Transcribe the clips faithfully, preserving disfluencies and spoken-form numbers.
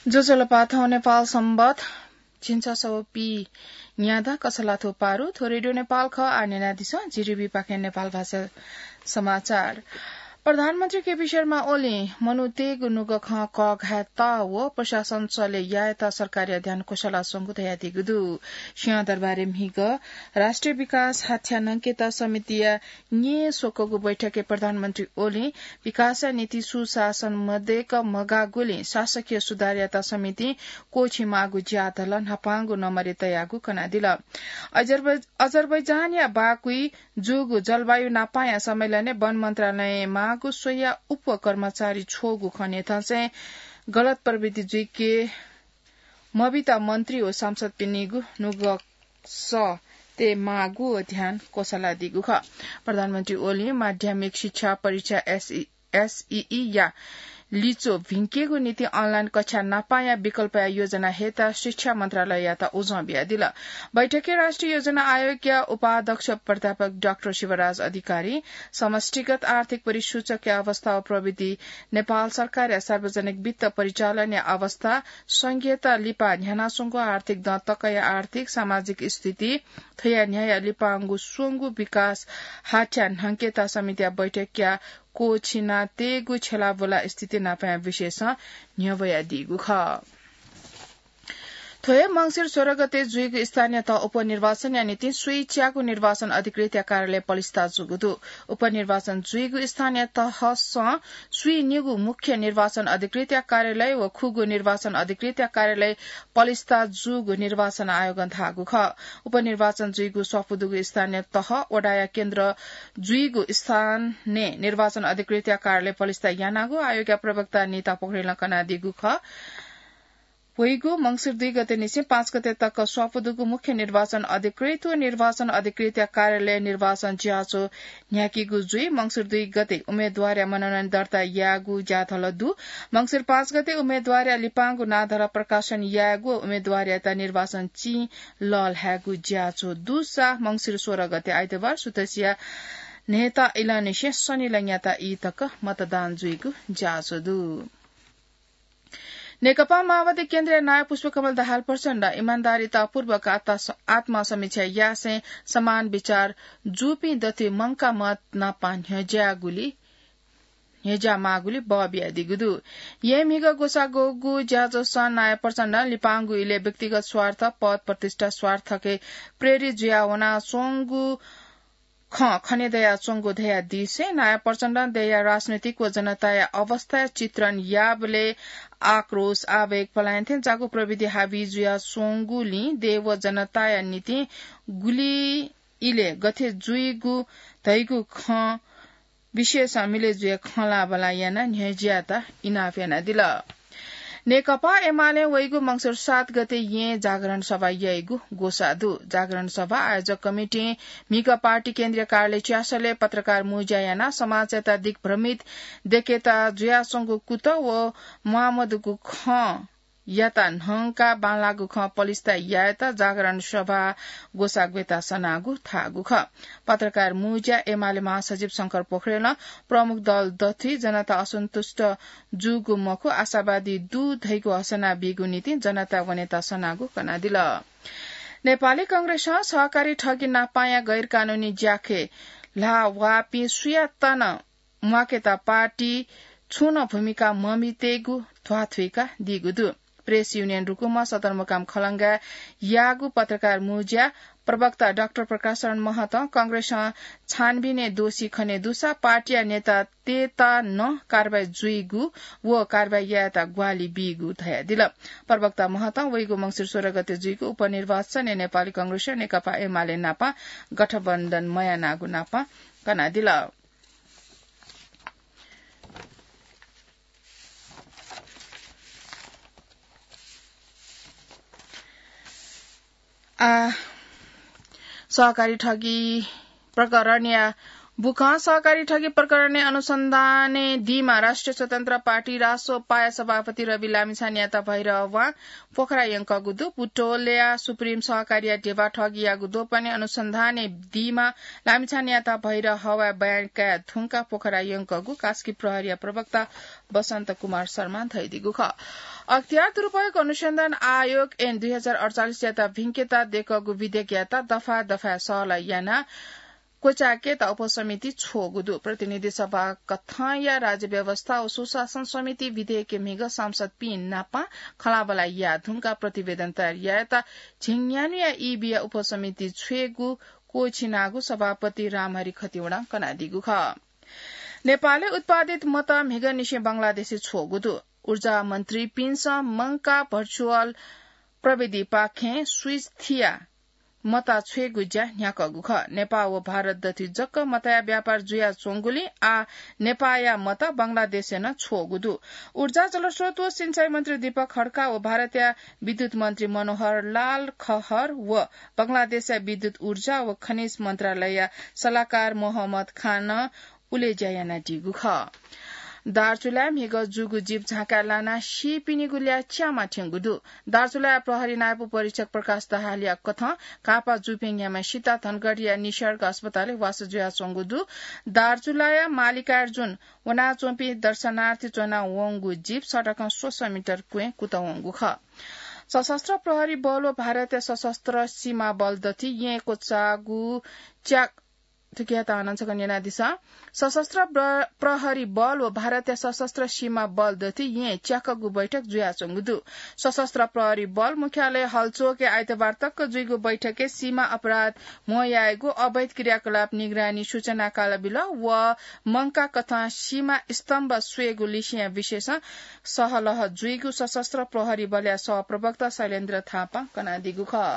ज्वजलपा, थौं नेपाल संवत झिंछसः पीन्यादँ कछलाथ्व पारु। थ्व रेडियो नेपाल खः। आः न्यनादिसँ, जिरिबी पाखें नेपाल भाषा समाचार। प्रधानमन्त्री केपी शर्मा ओलीं मनूतय्गु नुगः खँ कःघायेत व प्रशासन चले यायेत सरकारया ध्यान क्वसलाच्वंगु धयादीगु दु। सिंहदरबारय् म्हिगः राष्ट्रिय विकास हाथ्या न्हंकेत समितिया न्येस्वकःगु बैठकय् प्रधानमन्त्री ओलीं विकासया निंतिं सुशासन मदय्क मगाःगुलिं शासकीय सुधारयात समितिं क्वःछिं माःगु ज्या धल। न्हापांगु नम्बरय् तयागु कनादिल। अजरबै-, अजरबैजानया बाकुइ जूगु जलवायु नापांया सम्मेलनय् वन मन्त्रालयं माःगु स्वयाः उप कर्मचारी छ्वःगु खँ न्ह्यथंसें गलत प्रविधि जुइके मबीत मन्त्री व सांसदपिनिगु नुगः सः तये माःगु व ध्यान क्वसलादीगु खः। प्रधानमन्त्री ओलीं माध्यमिक शिक्षा परीक्षा एसई, एसईई या लिच्वः भिंकेगु निंतिं अनलाइन कक्षा नापांया विकल्पया योजना हयेत शिक्षा मन्त्रालययात उजं बियादिल। बैठकय् राष्ट्रिय योजना आयोगया उपाध्यक्ष प्राध्यापक डाक्टर शिवराज अधिकारी, समष्टिगत आर्थिक परिसूचकया अवस्था व प्रविधि, नेपाल सरकारया सार्वजनिक वित्त परिचालनया अवस्था, संघीयता लिपा न्ह्यानाच्वंगु आर्थिक दँ तकया आर्थिक सामाजिक स्थिति, थ्वया न्ह्यःया लिपांगु स्वंगू विकास हाथ्या न्हंकेत समितिया बैठकया क्वःछिनातयेगु छ्यलाबुला स्थिति नापंया विषयसं न्ह्यब्वयादीगु खः। थ्व हे मंसिर सोह्र गते जुइगु स्थानीय तह उपनिर्वाचनया निंतिं स्वीच्यागु निर्वाचन अधिकृतया कार्यालय पलिस्था जूगु दु। उपनिर्वाचन जुइगु स्थानीय तहसं स्वीनिगू मुख्य निर्वाचन अधिकृतया कार्यालय व खुगू निर्वाचन अधिकृतया कार्यालय पलिस्था जूगु निर्वाचन आयोगं धाःगु खः। उपनिर्वाचन जुइगु स्वापू दुगु स्थानीय तह वडाया केन्द्र जुइगु स्थानय् निर्वाचन अधिकृतया कार्यालय पलिस्था यानागु आयोगया प्रवक्ता निता पोखरेलं कनादीगु खः। वइगु मंसिर दुई गते निसें पाँच गते तक स्वापू दुगु मुख्य निर्वाचन अधिकृत व निर्वाचन अधिकृतया कार्यालय निर्वाचन ज्याझ्वः न्ह्याकीगु जुइ। मंसिर दुई गते उम्मेद्वारया मनोनयन दर्ता यायेगु ज्याझ्वः दु। मंसिर पाँच गते उम्मेद्वारया लिपांगु नां धरं प्रकाशन यायेगु व उम्मेद्वारयात निर्वाचन चिं लःल्हायेगु ज्याझ्वः दुसा मंसिर सोह्र गते आइतबार सुथसिया न्हय्ता इलंनिसें सनिलंयात ई तक मतदान जुइगु ज्याझ्वः दु। नेकपा माओवादी केन्द्रया नायः पुष्पकमल दाहाल प्रचण्डं इमान्दारितापूर्वक आत्मा-, आत्मसमीक्षा यासें समान विचार जूपिं दथुइ मंकाः मत नापं न्ह्यज्याःगुलिं, न्ह्यज्याः माःगुलिं बः बियादीगु दु। येँ म्हिगः ग्वसाः ग्वःगु ज्याझ्वलय् नायः प्रचण्डं लिपांगु इलय् व्यक्तिगत स्वार्थ, पद प्रतिष्ठा स्वार्थके प्रेरित जुयाः वनाच्वंगु खँ खने दयाच्वंगु धयादीसें नायः प्रचण्डं देय्‌या राजनैतिक व जनताया अवस्थाया चित्रण याःबलय् आक्रोश, आवेग, पलायन थें जाःगु प्रविधि हावी जुयाच्वंगुलिं देय् व जनताया निंतिं गुलि इलय् गथे जुइगु धइगु खँ विषयसं मिले जुयाः खँ ल्हाःबल्हाः यानाः न्ह्यज्यायेत इनाप यानादिल। नेकपा एमालें वइगु मंसिर सात गते येँय् जागरण सभा याइगु ग्वसाः दु। जागरण सभा आयोजक कमिटिं म्हिगः पार्टी केन्द्रीय कार्यालय च्यासलय् पत्रकार मुँज्या यानाः समाजयात दिग्भ्रमित देकेत जुयाच्वंगु कुतः व म्वाःमदुगु खँ यात न्हंकाः बांलाःगु खँ पलिस्था यायेत जागरण सभा ग्वसाः ग्वयेत सनागु धाःगु खः। पत्रकार मुँज्या एमाले महासचिव शंकर पोखरेलं प्रमुख दल दथुइ जनता असन्तुष्ट जूगु मखु, आशावादी दु धइगु हसना बीगु निंतिं जनता वनेत सनागु कनादिल। नेपाली कांग्रेसं सहकारी ठगी नापांया गैरकानूनी ज्याखँय् ल्हाः वाःपिं सुयात नं म्वाकेत पार्टी छुं नं भूमिका मम्हितेगु ध्वाथुइका दीगु दु। प्रेस युनियन रुकुमं सदरमुकाम खलंगाय् याःगु पत्रकार मुँज्या प्रवक्ता डाक्टर प्रकाश शरण महतं कांग्रेसं छानबिनय् दोषी खने दुसा पार्टीया नेतातय्त नं कारवाही जुइगु व कारवाही यायेत ग्वाहालि बीगु धयादिल। प्रवक्ता महतं वइगु मंसिर सोह्र गते जुइगु उपनिर्वाचनय् नेपाली कांग्रेसं नेकपा एमाले नाप गठबन्धन मयानागु नाप कनादिल। आ, सहकारी ठगी प्रकरणया बुखं सहकारी ठगी प्रकरणय् अनुसन्धानय् दीमा राष्ट्रिय स्वतन्त्र पार्टी, रासोपाया सभापति रवि लामिछानेयात भैरहवां पोखरा यंकःगु दु। बुटोलया सुप्रिम सहकारीया ध्यबा ठगीयागु द्वपनय् अनुसन्धानय् दीमा लामिछानेयात भैरहवां बयान काये धुंकाः पोखरा यंकःगु कास्की प्रहरीया प्रवक्ता बसन्त कुमार शर्मां धयादीगु खः। अख्तियार दुरुपयोग अनुसन्धान आयोग ऐन दुई हजार अडचालिसयात भिंकेत दय्कःगु विधेयकयात दफा दफाय् सहलह यानाः क्वचाय्केत उपसमिति छ्वःगु दु। प्रतिनिधि सभा कथंया राज्य व्यवस्था व सुशासन समिति विधेयकय् म्हिगः सांसदपिं नाप खँल्हाबल्हा याये धुंकाः प्रतिवेदन तयार यायेत झिंन्यान्हुया ईबीया उपसमिति छ्वयेगु क्वःछिनागु सभापति रामहरि खतिवडां कनादीगु खः। नेपालय् उत्पादित मत म्हिगःनिसें बंगलादेशय् छ्वःगु दु। ऊर्जा मन्त्रीपिन्सं मंकाः भर्चुअल प्रविधिपाखें स्विच थियाः मत छ्वयेगु ज्या न्ह्याकःगु खः। नेपाः व भारत दथुइ जक मतया व्यापार जुयाच्वंगुलिं आः नेपाःया मत बंगलादेशय् नं छ्वःगु दु। ऊर्जा, जलस्रोत व सिँचाइ मन्त्री दीपक खड्का व भारतया विद्युत मन्त्री मनोहर लाल खहर व बंगलादेशया विद्युत, ऊर्जा व खनिज मन्त्रालयया सल्लाहकार मोहम्मद खानं उलेज्या यानादीगु खः। दार्चुलाय् म्हिगः जूगु जीप झाँकाय् लानाः सीपिनिगु ल्याः च्यामा थ्यंगु दु। दार्चुलाया प्रहरी नायब उपरीक्षक प्रकाश दाहालया कथं काःपा जूपिं न्ह्याम्ह सिता धनगढीया निसर्ग अस्पतालय् वासः जुयाच्वंगु दु। दार्चुलाया मालिकार्जुन वनाच्वंपिं दर्शनार्थी च्वनावंगु जीप सडकं स्वसः मिटर क्वँय् कुतः वंगु खः। सशस्त्र प्रहरी बल व भारतीय सशस्त्र सीमा बल दथुइ येँ क्वचाःगु च्या-, थुकियात हानं छकः न्यनादिसँ। सशस्त्र प्र-, प्रहरी बल व भारतीय सशस्त्र सीमा बल दथुइ येँ च्याकःगु बैठक जुयाच्वंगु दु। सशस्त्र प्रहरी बल मुख्यालय हलचोकय् आइतबार तक जुइगु बैठकय् सीमा अपराध म्हो यायेगु, अवैध क्रियाकलाप निगरानी सूचना कालबिल व मंकाः कथं सीमा स्तम्भ स्वयेगु लिसेंया विषयसं सहलह जुइगु सशस्त्र प्रहरी बलया सहप्रवक्ता शैलेन्द्र थापां कनादीगु खः।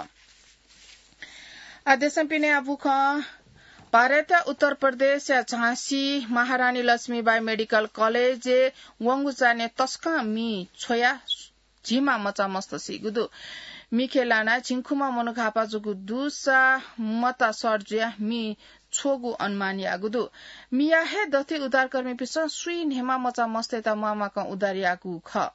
आः देशं पिने आः बुखं। भारतया उत्तर प्रदेशया झाँसी महारानी लक्ष्मीबाई मेडिकल कलेजय् वंगु चान्हय् तसकं मि छ्वयाः झिम्मा मचा मस्त सीगु दु। मिखे लानाः झिंखुम्ह मनू घाःपा जूगु दुसा मता सर्ट जुयाः मि छ्वःगु अनुमान याःगु दु। मिया हे दथुइ उद्धारकर्मीपिन्सं सुइ न्हय्मा मचा मस्तय्त म्वाःम्वाकं उद्धार याःगु खः।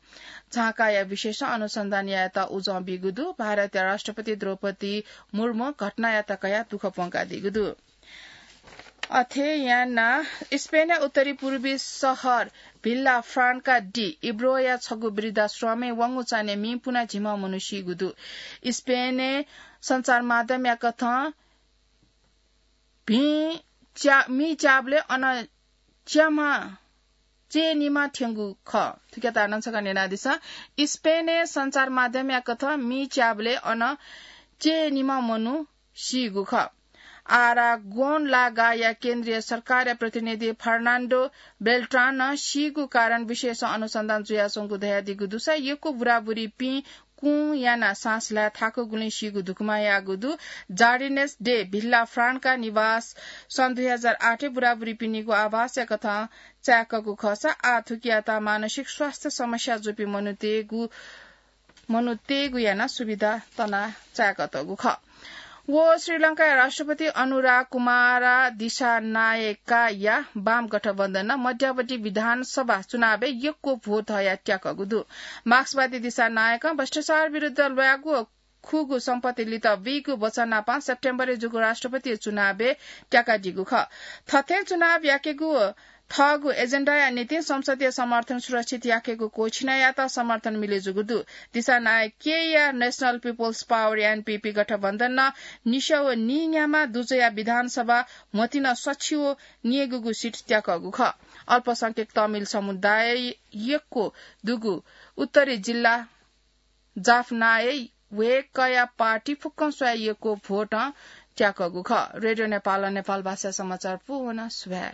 झाँकाया विषयसं अनुसन्धान यायेत उजं बीगु दु। भारतया राष्ट्रपति द्रौपदी मुर्मुं घटनायात कयाः दुःख प्वंकादीगु दु। अथे यानाः स्पेनया उत्तरी पूर्वी शहर भिल्ला फ्रान्का डी इब्रोया छगू वृद्धाश्रमय् वंगु चान्हय् मि पुनाः झिम्मा मनू सीगु दु। स्पेनय् सञ्चार माध्यमया कथं भिं च्या-, मि च्याबलय् अन च्याम्ह चय्निम्ह थ्यंगु खः। थुकियात हानं छकः न्यनादिसँ। स्पेनय् सञ्चार माध्यमया कथं मि च्याबलय् अन चय्निम्ह मनू सीगु खः। आरागोन लागाया केन्द्रीय सरकारया प्रतिनिधि फर्नान्डो बेल्ट्रानं सीगु कारण विषयसं अनुसन्धान जुयाच्वंगु धयादीगु दुसा यक्व बुराबुरीपिं कुँ यानाः साँस ल्हाये थाकुगुलिं सीगु धुकुमा याःगु दु। जार्डिनेस डे भिल्ला फ्रान्का निवास सन् दुई हजार आठय् बुराबुरीपिनिगु आवासया कथं चाय्कःगु खःसा आः थुकियात मानसिक स्वास्थ्य समस्या जूपिं मनूतय्गु, मनूतय्गु यानाः सुविधा तनाः चाय्कातःगु खः। व श्रीलंकाया राष्ट्रपति अनुरा कुमारा दिसानायकाया वाम गठबन्धनं मध्यावधि विधानसभा चुनावय् यक्व भोट हयाः त्याकःगु दु। मार्क्सवादी दिसानायकं भ्रष्टाचार विरुद्ध ल्वायेगु खुगू सम्पत्ति लित बीगु वचन नापं सेप्टेम्बरय् जूगु राष्ट्रपति चुनावय् त्याकादीगु खः। थथे चुनाव याकेगु थःगु एजेन्डाया निंतिं संसदीय समर्थन सुरक्षित याकेगु क्वःछिनायात समर्थन मिले जूगु दु। दिसानायकया National People's Power, एनपीपी गठबन्धनं निस्याः व नीन्याम्ह दुजःया विधानसभा म्हतिनं सछि व न्यय्गूगु सिट त्याकःगु खः। अल्पसंख्यक तमिल समुदाय यक्व दुगु उत्तरी जिल्ला जाफनाय् वय्कःया पार्टी फुक्कं स्वयाः यक्व भोटं त्याकःगु खः। रेडियो नेपालं नेपाल भाषा समाचार पूवन सुभाय्।